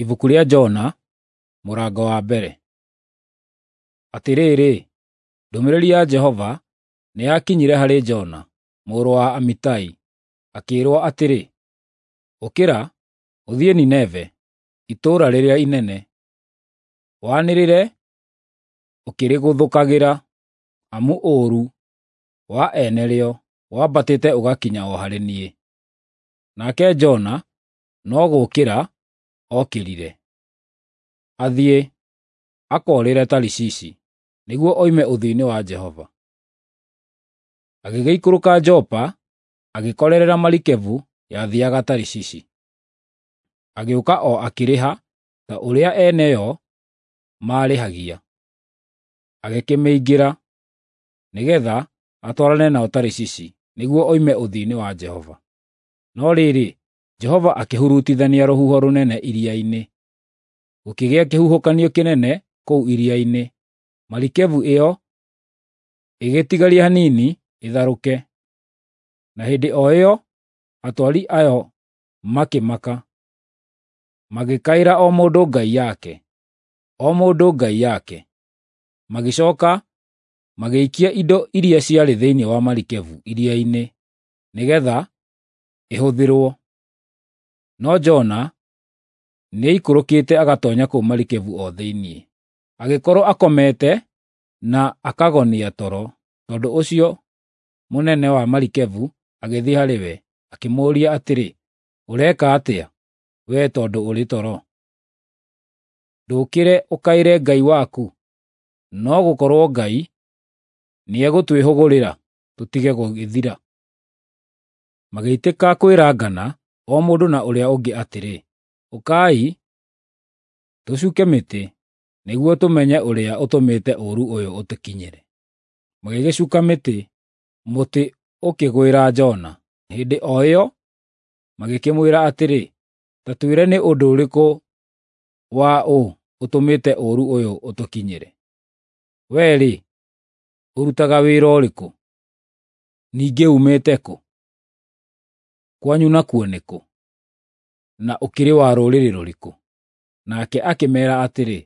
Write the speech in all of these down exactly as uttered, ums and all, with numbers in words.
Ibuku rĩa Jona, mũrango wa mbere. Atĩrĩrĩ, ndũmĩrĩri ya Jehova nĩyakinyire harĩ Jona, mũrũ wa Amitai, akĩĩrwo atĩrĩ, “Ũkĩra, ũthiĩ Nineve, itũũra rĩrĩa inene, wanĩrĩre ũkĩrĩgũthũkagĩra, amu ũũru wa ene rĩo wambatĩte ũgakinya o harĩ niĩ.” Nake Jona no gũũkĩra ookĩrire, athiĩ akoorĩre Tarishishi, nĩguo oime ũthiũ-inĩ wa Jehova. Agĩgĩikũrũka Jopa, agĩkorerera marikabu yathiiaga Tarishishi. Agĩũka o akĩrĩha ta ũrĩa ene yo maarĩhagia, agĩkĩmĩingĩra, nĩgeetha atwarane nao Tarishishi, nĩguo oime ũthiũ-inĩ wa Jehova. No rĩrĩ, Jehova akĩhurutithania rũhuho rũnene iria-inĩ, gũkĩgĩa kĩhuhũkanio kĩnene kũu iria-inĩ, marikabu ĩyo ĩgĩtigaria hanini ĩtharũke. Na hĩndĩ o ĩyo atwari ayo makĩmaka, magĩkaĩra o mũndũ ngai yake, o mũndũ ngai yake. Magĩcooka magĩikia indo iria ciarĩ thĩinĩ wa marikabu iria-inĩ nĩgeetha ĩhũthĩrwo. No Jona nĩaikũrũkĩte agatoonya kũu marikabu o thĩinĩ, agĩkorwo akomete na akagonia toro. Tondũ ũcio mũnene wa marikabu agĩthiĩ harĩ we, akĩmũũria atĩrĩ, “Ũreka atĩa, wee tondũ ũrĩ toro? Ndũũkĩre ũkaĩre Ngai waku! No gũkorwo Ngai nĩegũtwĩhũgũrĩra tũtige gũgĩthira.” Magĩitĩka kwĩrangana o mũndũ na ũrĩa ũngĩ atĩrĩ, “Ũkai, tũcuuke mĩtĩ, nĩguo tũmenye ũrĩa ũtũmĩte ũũru ũyũ ũtũkinyĩre.” Magĩgĩcuuka mĩtĩ, mũtĩ ũkĩgwĩra Jona. Hĩndĩ o ĩyo magĩkĩmwĩra atĩrĩ, “Ta twĩre nĩ ũndũ ũrĩkũ wa ũ ũtũmĩte ũũru ũyũ ũtũkinyĩre? Wee-rĩ, ũrutaga wĩra ũrĩkũ? Ningĩ uumĩte kũ? Kwanyu nakuo nĩ kũ? Na ũkĩrĩ wa rũrĩrĩ rũrĩkũ?” Nake akĩmeera atĩrĩ,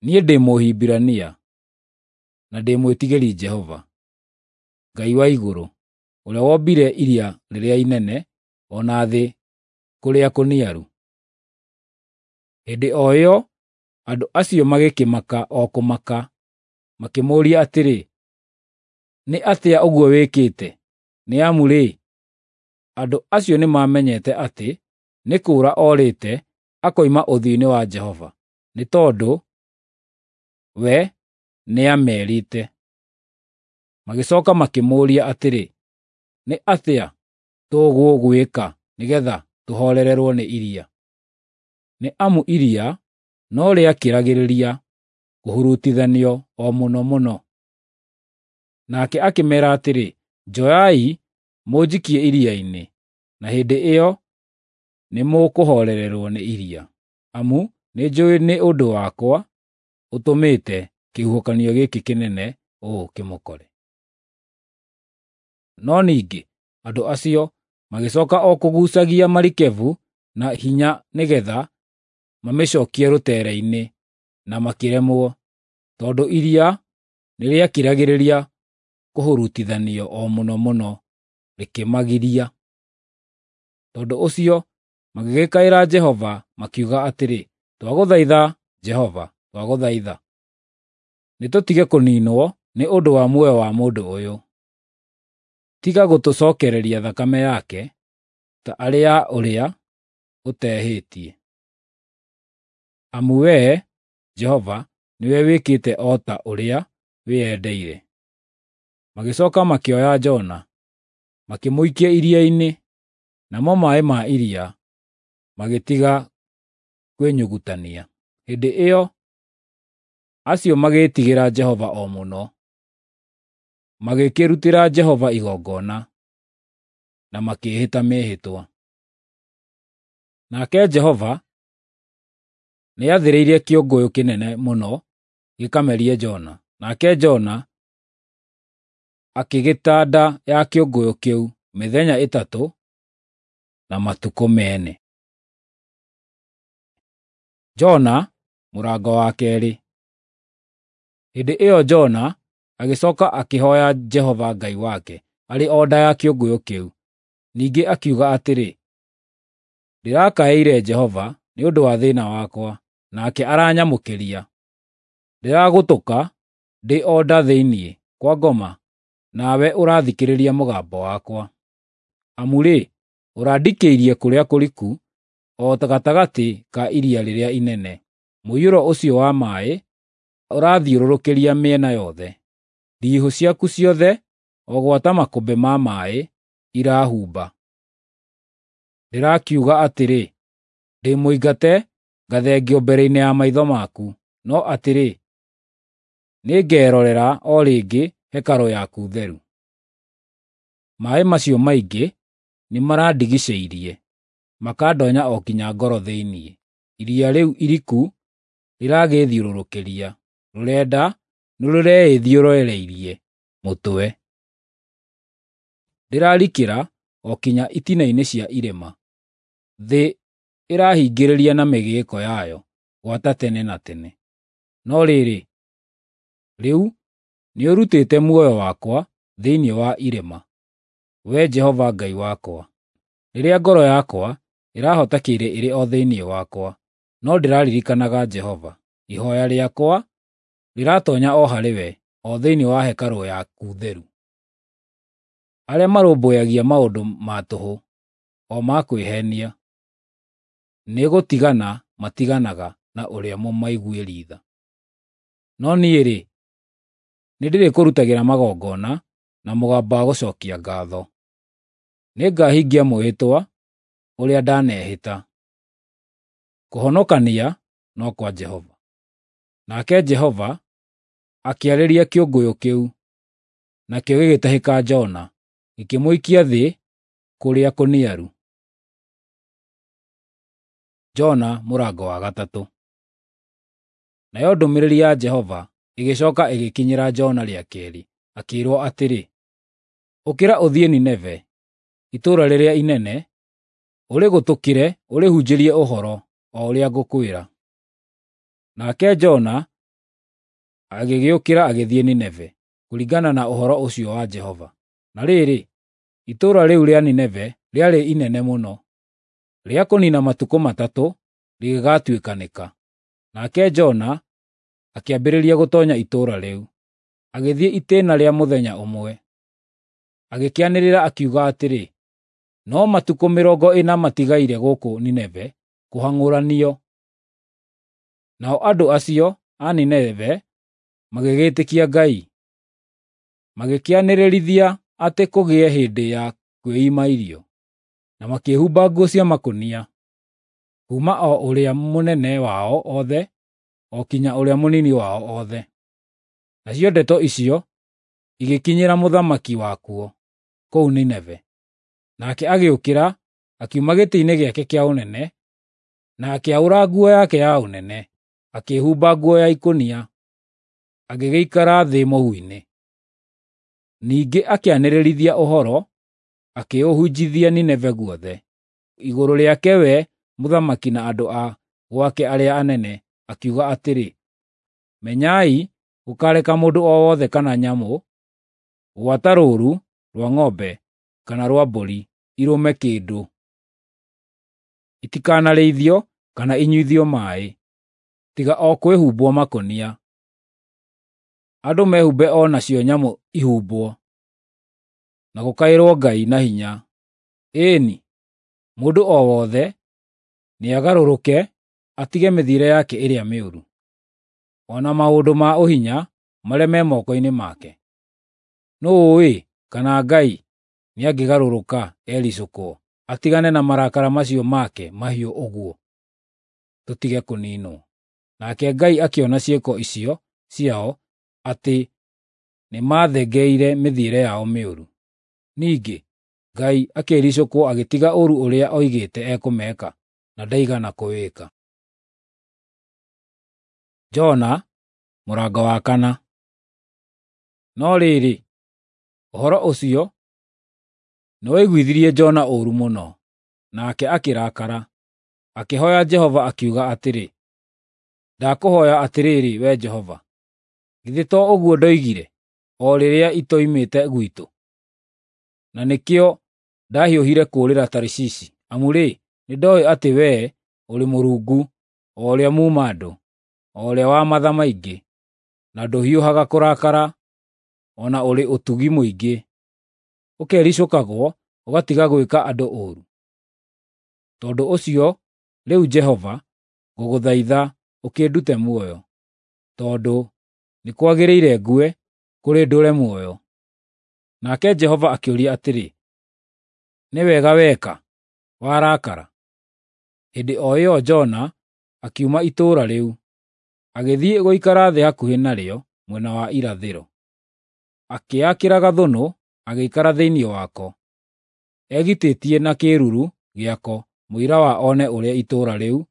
“Niĩ ndĩ Mũhibirania, na ndĩ mwĩtigĩri Jehova, Ngai wa igũrũ, ũrĩa wombire iria rĩrĩa inene o na thĩ kũrĩa kũniaru.” Hĩndĩ o ĩyo andũ acio magĩkĩmaka o kũmaka, makĩmũũria atĩrĩ, “Nĩ atĩa ũguo wĩkĩte?” Nĩ amu-rĩ, andũ acio nĩmamenyete atĩ nĩ kũũra oorĩte akoima ũthiũ-inĩ wa Jehova, nĩ tondũ we nĩameerĩte. Magĩcooka makĩmũũria atĩrĩ, “Nĩ atĩa tũgũgwĩka nĩgeetha tũhoorererwo nĩ iria?” Nĩ amu iria no rĩakĩragĩrĩria kũhurutithanio o mũno mũno. Nake akĩmeera atĩrĩ, “Njoyai mũnjikie iria-inĩ, na hĩndĩ ĩyo nĩmũkũhoorererwo nĩ iria, amu nĩnjũũĩ nĩ ũndũ wakwa ũtũmĩte kĩhuhũkanio gĩkĩ kĩnene ũũ kĩmũkore.” No ningĩ andũ acio magĩcooka o kũguucagia marikabu na hinya nĩgeetha mamĩcookie rũteere-inĩ, na makĩremwo, tondũ iria nĩrĩakĩragĩrĩria kũhurutithanio o mũno mũno rĩkĩmagiria. Tondũ ũcio magĩgĩkaĩra Jehova makiuga atĩrĩ, “Twagũthaitha, Jehova, twagũthaitha, nĩtũtige kũniinwo nĩ ũndũ wa muoyo wa mũndũ ũyũ. Tiga gũtũcookereria thakame yake ta arĩ ya ũrĩa ũtehĩtie. Amu wee, Jehova, nĩwe wĩkĩte o ta ũrĩa wĩyendeire.” Magĩcooka makĩoya Jona, makĩmũikia iria-inĩ, namo maaĩ ma iria magĩtiga kwĩnyugutania. Hĩndĩ ĩyo acio magĩĩtigĩra Jehova o mũno, magĩkĩrutĩra Jehova igongona, na makĩĩhĩta mĩĩhĩtwa. Nake Jehova nĩathĩrĩirie kĩũngũyũ kĩnene mũno gĩkamerie Jona, nake Jona akĩgĩta nda ya kĩũngũyũ kĩu mĩthenya ĩtatũ na matukũ meene. Jona mũrango wa keerĩ. Hĩndĩ ĩyo Jona agĩcoka akĩhooya Jehova Ngai wake arĩ o nda ya kĩũngũyũ kĩu. Ningĩ akiuga atĩrĩ, “Ndĩrakaĩire Jehova nĩ ũndũ wa thĩĩna wakwa, nake aranyamũkĩria. Ndĩragũtũka ndĩ o nda thĩinĩ kwa ngoma, nawe ũrathikĩrĩria mũgambo wakwa. Amu-rĩ, ũrandikĩirie kũrĩa kũriku, o gatagatĩ ka iria rĩrĩa inene. Mũiyũro ũcio wa maaĩ ũrathiũrũrũkĩria mĩena yothe. Ndiihũ ciaku ciothe, o gwata makũmbĩ ma maaĩ, irahumba. Ndĩrakiuga atĩrĩ, ‘Ndĩ mũingate ngathengio mbere-inĩ ya maitho maku,’ no atĩrĩ, nĩngerorera o rĩngĩ hekarũ yaku theru. Maaĩ macio maingĩ nĩmarandigiicĩirie, makandonya o kinya ngoro thĩinĩ. Iria rĩu iriku rĩragĩĩthiũrũrũkĩria, rũrenda nĩrũreĩthiũrũrĩirie mũtwe. Ndĩrarikĩra o kinya itina-inĩ cia irĩma; thĩ ĩrahingĩrĩria na mĩgĩĩko yayo gwata tene na tene. No rĩrĩ, rĩu nĩũrutĩte muoyo wakwa thĩinĩ wa irĩma, Wee Jehova Ngai wakwa. Rĩrĩa ngoro yakwa ĩrahotekire ĩrĩ o thĩinĩ wakwa, no ndĩraririkanaga Jehova. Ihooya rĩakwa rĩratoonya o harĩwe, o thĩinĩ wa hekarũ yaku theru. Arĩa marũmbũyagia maũndũ ma tũhũ, o ma kwĩheenia, nĩgũtigana matiganaga na ũrĩa mũmaiguĩri tha. No niĩ-rĩ, nĩndĩrĩkũrutagĩra magongona na mũgambo wa gũcookia ngaatho. Nĩngahingia mwĩhĩtwa ũrĩa ndanehĩta. Kũhonokania no kwa Jehova. Nake Jehova akĩarĩria kĩũngũyũ kĩu, nakĩo gĩgĩtahĩka Jona, gĩkĩmũikia thĩ kũrĩa kũniaru. Jona mũrango wa gatatũ. Nayo ndũmĩrĩri ya Jehova ĩgĩcooka ĩgĩkinyĩra Jona rĩa keerĩ, akĩĩrwo atĩrĩ, “Ũkĩra ũthiĩ Nineve, itũũra rĩrĩa inene, ũrĩgũtũkĩre ũrĩhunjĩrie ũhoro o ũrĩa ngũkwĩra.” Nake Jona agĩgĩũkĩra agĩthiĩ Nineve, kũringana na ũhoro ũcio wa Jehova. Na rĩrĩ, itũũra rĩu rĩa Nineve rĩarĩ inene mũno, rĩa kũniina matukũ matatũ rĩgĩgatuĩkanĩka. Nake Jona akĩambĩrĩria gũtoonya itũũra rĩu, agĩthiĩ itĩĩna rĩa mũthenya ũmwe. Agĩkĩanĩrĩra akiuga atĩrĩ, “No matukũ mĩrongo ĩna matigaire gũkũ Nineve kũhang'ũranio.” Nao andũ acio a Nineve magĩgĩĩtĩkia Ngai, magĩkĩanĩrĩrithia atĩ kũgĩe hĩndĩ ya kwĩima irio, na makĩĩhumba nguo cia makũnia, kuuma o ũrĩa mũnene wao othe o kinya ũrĩa mũnini wao othe. Nacio ndeto icio igĩkinyĩra mũthamaki wakuo kũu Nineve. Nake agĩũkĩra, akiuma gĩtĩ-inĩ gĩake kĩa ũnene, na akĩaũra nguo yake ya ũnene, akĩĩhumba nguo ya ikũnia, agĩgĩikara thĩ mũhu-inĩ. Ningĩ akĩanĩrĩrithia ũhoro, akĩũhunjithia Nineve guothe, igũrũ rĩake we mũthamaki na andũ a gwake arĩa anene, akiuga atĩrĩ, “Menyai gũkareka mũndũ o wothe kana nyamũ, gwata rũũru rwa ng'ombe kana rwa mbũri, irũme kĩndũ. Itikanarĩithio kana inyuithio maaĩ, tiga o kwĩhumbwo makũnia. Andũ mehumbe o nacio nyamũ ihumbwo, na gũkaĩrwo Ngai na hinya. Ĩĩ-ni, mũndũ o wothe nĩagarũrũke atige mĩthiĩre yake ĩrĩa mĩũru, o na maũndũ ma ũhinya marĩa me moko-inĩ make. Nũũ ũũĩ kana Ngai nĩangĩgarũrũka ericũkwo, atigane na marakara macio make mahiũ ũguo, tũtige kũniinwo.” Nake Ngai akĩona ciĩko icio ciao atĩ nĩmathengeire mĩthiĩre yao mĩũru. Ningĩ Ngai akĩĩricũkwo agĩtiga ũũru ũrĩa oigĩte ekũmeka, na ndaigana kũwĩka. Jona mũrango wa kana. No rĩrĩ, ũhoro ũcio nĩwaiguithirie Jona ũũru mũno, nake akĩrakara. Akĩhooya Jehova akiuga atĩrĩ, Ndakũhooya atĩrĩrĩ, Wee Jehova, githĩ to ũguo ndoigire o rĩrĩa itoimĩte gwitũ? Na nĩkĩo ndahiũhire kũũrĩra Tarishishi, amu-rĩ, nĩndooĩ atĩ wee ũrĩ Mũrungu, o ũrĩa muuma-andũ, o ũrĩa wa matha maingĩ, na ndũhiũhaga kũrakara, o na ũrĩ ũtugi mũingĩ, ũkericũkagwo ũgatiga gwĩka andũ ũũru. Tondũ ũcio rĩu Jehova, ngũgũthaitha ũkĩndute muoyo, tondũ nĩ kwagĩrĩire ngue, kũrĩ ndũũre muoyo. Nake Jehova akĩũria atĩrĩ, “Nĩ wega weka, warakara?” Hĩndĩ o ĩyo Jona akiuma itũũra rĩu, agĩthiĩ gũikara thĩ hakuhĩ narĩo mwena wa irathĩro. Akĩĩakĩra gathũnũ, agĩikara thĩinĩ wako, egitĩtie na kĩĩruru gĩako mũira wa one ũrĩa itũũra rĩu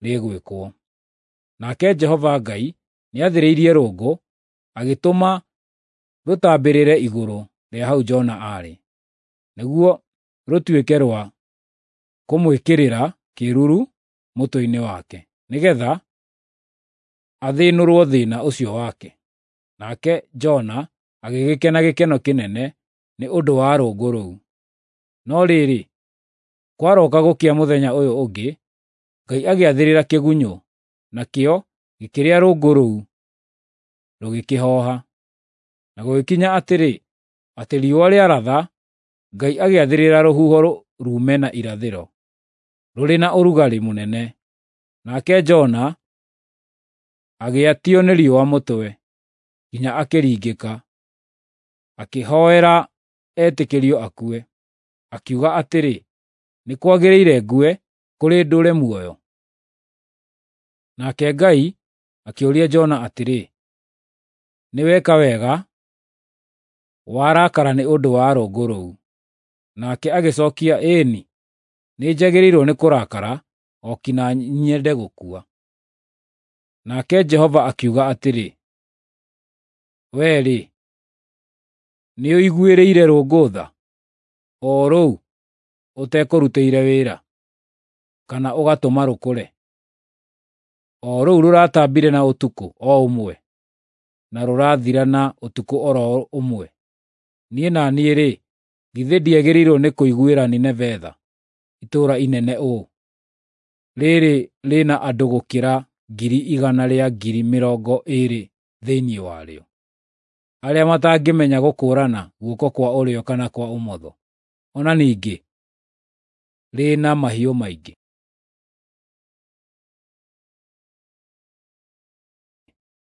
rĩgwĩkwo. Nake Jehova Ngai nĩathĩrĩirie rũũngũ, agĩtũma rũtambĩrĩre igũrũ rĩa hau Jona aarĩ, nĩguo rũtuĩke rwa kũmwĩkĩrĩra kĩĩruru mũtwe-inĩ wake, nĩgeetha athĩnũrwo thĩĩna ũcio wake. Nake Jona agĩgĩkena gĩkeno kĩnene nĩ ũndũ wa rũũngũ rũu. No rĩrĩ, kwarooka gũkĩa mũthenya ũyũ ũngĩ, Ngai agĩathĩrĩra kĩgunyũ, nakĩo gĩkĩrĩa rũũngũ rũu, rũgĩkĩhooha. Na gũgĩkinya atĩrĩ, atĩ riũa rĩaratha, Ngai agĩathĩrĩra rũhuho ruume na irathĩro, rũrĩ na ũrugarĩ mũnene. Nake Jona agĩatio nĩ riũa mũtwe, nginya akĩringĩka, akĩhoera etĩkĩrio akue. Akiuga atĩrĩ, “Nĩ kwagĩrĩire ngue, kũrĩ ndũũre muoyo.” Nake Ngai akĩũria Jona atĩrĩ, “Nĩweka wega warakara nĩ ũndũ wa rũũngũ rũu?” Nake agĩcookia, “Ĩĩ-ni, nĩnjagĩrĩirwo nĩ kũrakara o kinya nyende gũkua.” Nake Jehova akiuga atĩrĩ, “Wee-rĩ, nĩũiguĩrĩire rũũngũ tha, o rũu ũtekũrutĩire wĩra, kana ũgatũma rũkũre, o rũu rũratambire na ũtukũ o ũmwe, na rũrathira na ũtukũ o ro ũmwe? Niĩ na niĩ-rĩ, githĩ ndiagĩrĩirwo nĩ kũiguĩra Nineve tha, itũũra inene ũũ, rĩĩrĩ rĩna andũ gũkĩra ngiri igana rĩa ngiri mĩrongo ĩĩrĩ thĩinĩ warĩo, arĩa matangĩmenya gũkũũrana guoko kwa ũrĩo kana kwa ũmotho, o na ningĩ rĩna mahiũ maingĩ?”